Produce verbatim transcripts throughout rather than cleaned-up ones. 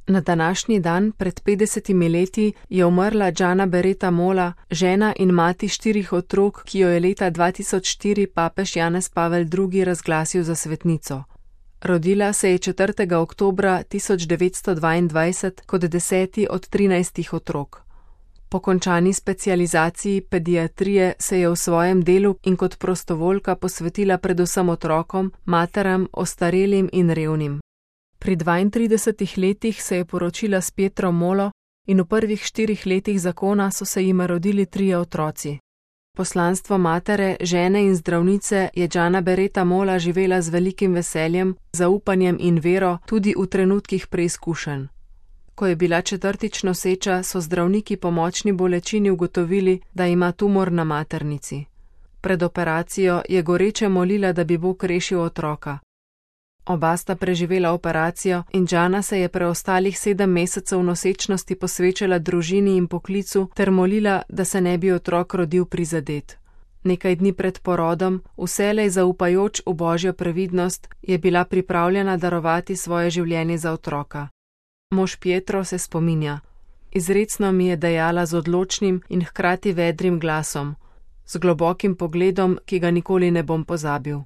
Na današnji dan pred petdesetimi leti je umrla Gianna Beretta Molla, žena in mati štirih otrok, ki jo je leta dva tisoč štiri papež Janez Pavel drugi razglasil za svetnico. Rodila se je četrtega oktobra tisoč devetsto dvaindvajset kot deseti od trinajstih otrok. Po končani specializaciji pediatrije se je v svojem delu in kot prostovoljka posvetila predvsem otrokom, materam, ostarelim in revnim. Pri dvaintridesetih letih se je poročila s Pietrom Mollo in v prvih štirih letih zakona so se jima rodili trije otroci. Poslanstvo matere, žene in zdravnice je Gianna Beretta Molla živela z velikim veseljem, zaupanjem in vero tudi v trenutkih preizkušenj. Ko je bila četrtič noseča, so zdravniki po močni bolečini ugotovili, da ima tumor na maternici. Pred operacijo je goreče molila, da bi Bog rešil otroka. Oba sta preživela operacijo in Gianna se je preostalih sedem mesecev nosečnosti posvečala družini in poklicu ter molila, da se ne bi otrok rodil prizadet. Nekaj dni pred porodom, vselej zaupajoč v Božjo previdnost, je bila pripravljena darovati svoje življenje za otroka. Mož Pietro se spominja: izrecno mi je dejala z odločnim in hkrati vedrim glasom, z globokim pogledom, ki ga nikoli ne bom pozabil.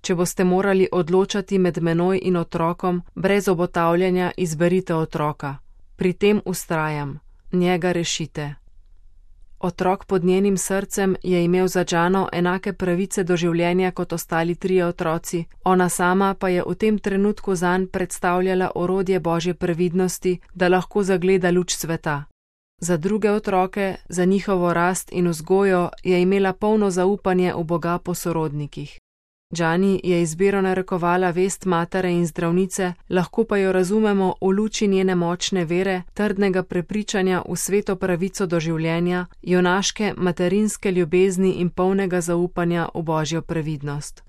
Če boste morali odločati med menoj in otrokom, brez obotavljanja izberite otroka. Pri tem vztrajam, njega rešite. Otrok pod njenim srcem je imel za Gianno enake pravice do življenja kot ostali trije otroci, ona sama pa je v tem trenutku zanj predstavljala orodje Božje previdnosti, da lahko zagleda luč sveta. Za druge otroke, za njihovo rast in vzgojo je imela polno zaupanje v Boga po sorodnikih. Gianni je izbiro narekovala vest matere in zdravnice, lahko pa jo razumemo v luči njene močne vere, trdnega prepričanja v sveto pravico do življenja, junaške materinske ljubezni in polnega zaupanja v Božjo previdnost.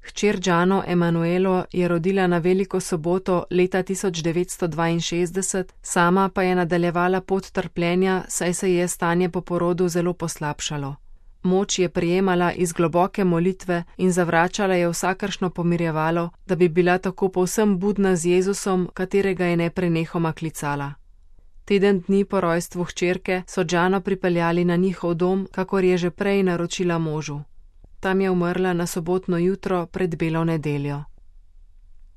Hčer Gianno Emanuelo je rodila na veliko soboto leta tisoč devetsto dvainšestdeset, sama pa je nadaljevala pot trpljenja, saj se je stanje po porodu zelo poslabšalo. Moč je prijemala iz globoke molitve in zavračala je vsakršno pomirjevalo, da bi bila tako povsem budna z Jezusom, katerega je neprenehoma klicala. Teden dni po rojstvu hčerke so Gianno pripeljali na njihov dom, kakor je že prej naročila možu. Tam je umrla na sobotno jutro pred belo nedeljo.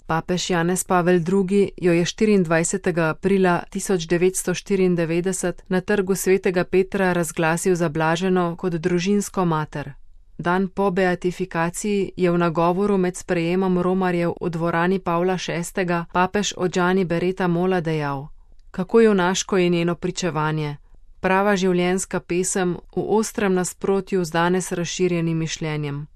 Papež Janez Pavel drugi jo je štiriindvajsetega aprila tisoč devetsto štiriindevetdeset na trgu svetega Petra razglasil za blaženo kot družinsko mater. Dan po beatifikaciji je v nagovoru med sprejemom romarjev v dvorani Pavla šestega papež o Gianni Beretta Molla dejal: kako junaško je njeno pričevanje, prava življenjska pesem v ostrem nasprotju z danes razširjenim mišljenjem.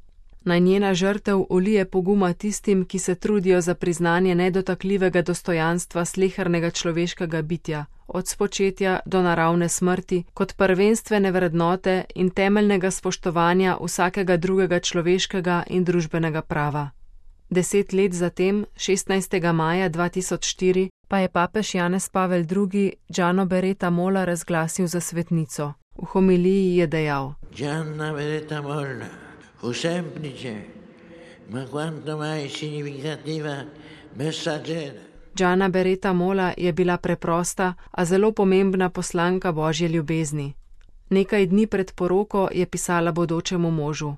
Naj njena žrtev ulije poguma tistim, ki se trudijo za priznanje nedotakljivega dostojanstva slehernega človeškega bitja, od spočetja do naravne smrti, kot prvenstvene vrednote in temeljnega spoštovanja vsakega drugega človeškega in družbenega prava. Deset let zatem, šestnajstega maja dva tisoč štiri, pa je papež Janez Pavel drugi Gianno Beretta Molla razglasil za svetnico. V homiliji je dejal: Gianna Beretta Molla fu semplice, ma quanto mai significativa messaggera. Gianna Beretta Molla je bila preprosta, a zelo pomembna poslanka Božje ljubezni. Nekaj dni pred poroko je pisala bodočemu možu: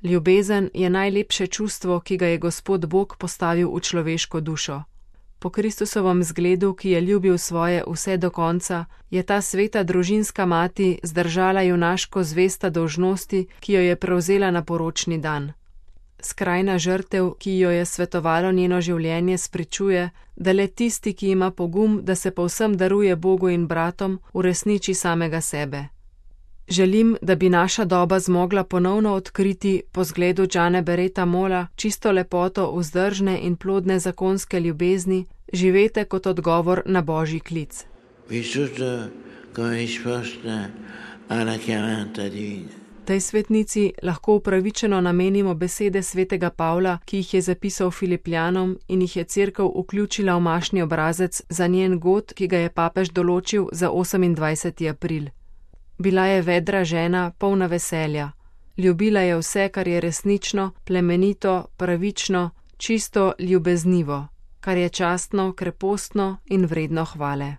ljubezen je najlepše čustvo, ki ga je Gospod Bog postavil v človeško dušo. Po Kristusovem zgledu, ki je ljubil svoje vse do konca, je ta sveta družinska mati zdržala junaško zvesta dolžnosti, ki jo je prevzela na poročni dan. Skrajna žrtev, ki jo je svetovalo njeno življenje, spričuje, da le tisti, ki ima pogum, da se povsem daruje Bogu in bratom, uresniči samega sebe. Želim, da bi naša doba zmogla ponovno odkriti po zgledu Gianne Beretta Molla čisto lepoto vzdržne in plodne zakonske ljubezni, živete kot odgovor na Božji klic. Tej svetnici lahko upravičeno namenimo besede svetega Pavla, ki jih je zapisal Filipljanom in jih je cerkev vključila v mašni obrazec za njen god, ki ga je papež določil za osemindvajseti april. Bila je vedra žena, polna veselja. Ljubila je vse, kar je resnično, plemenito, pravično, čisto ljubeznivo. kar je častno, krepostno in vredno hvale.